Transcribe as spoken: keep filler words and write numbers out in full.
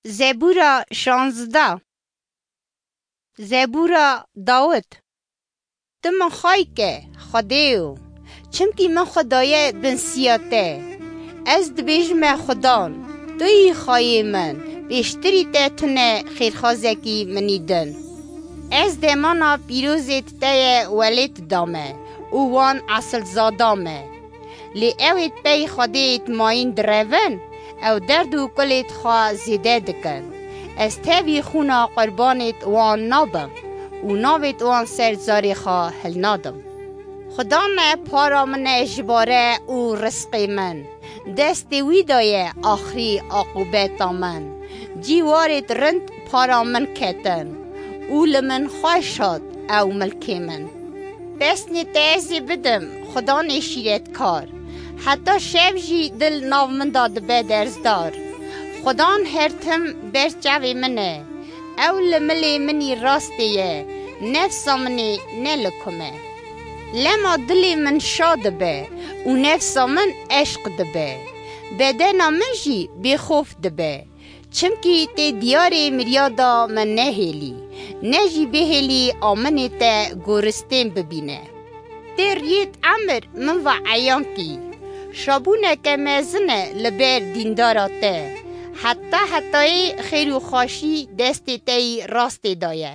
Zebûra şanzde. Zebûra Dawid. Tu min xayke, Xwedêyo, çimkî min xwe daye bin siya te. Ez dibêjime Xudan, tu yî xayê min, pêştirî te tune xêrxazekî minî din. Ez demana pîrozêt te ye welêt dame û wan esilzada me. Lê ew ê pey Xwedêyê mayîn direvin, ew derd û kulêt xwe zêde dikin. Ez tevî xûna qurbanêt wan nabim û navêt wan ser zarê xwe hilnadim. Xuda me para min e ji bare û rizqê min. Destê wî de ye axirî aqûbeta min. Cîwarêt rind para min ketin û li min xweş hat ew milkê min. Pesnê te ez ê bidim Xudanê şîretkar. Heta şev jî dil nav min de dibe derzdar. Xudan her tim ber çavê min e. Ew li milê min î rastê ye. Nefsa min ê ne li kum e. Lema dilê min şa dibe û nefsa min eşq dibe. Bedena min jî bêxof dibe. Çimkî tê diyarê mirya da min nehêlî, ne jî bihêlî aminê te goristên bibîne. Tê riyêt emir min va eyan kî. Şabûneke mezin e li ber dîndara te. Heta hetayê xêr û xweşî destê te yî rastê de ye.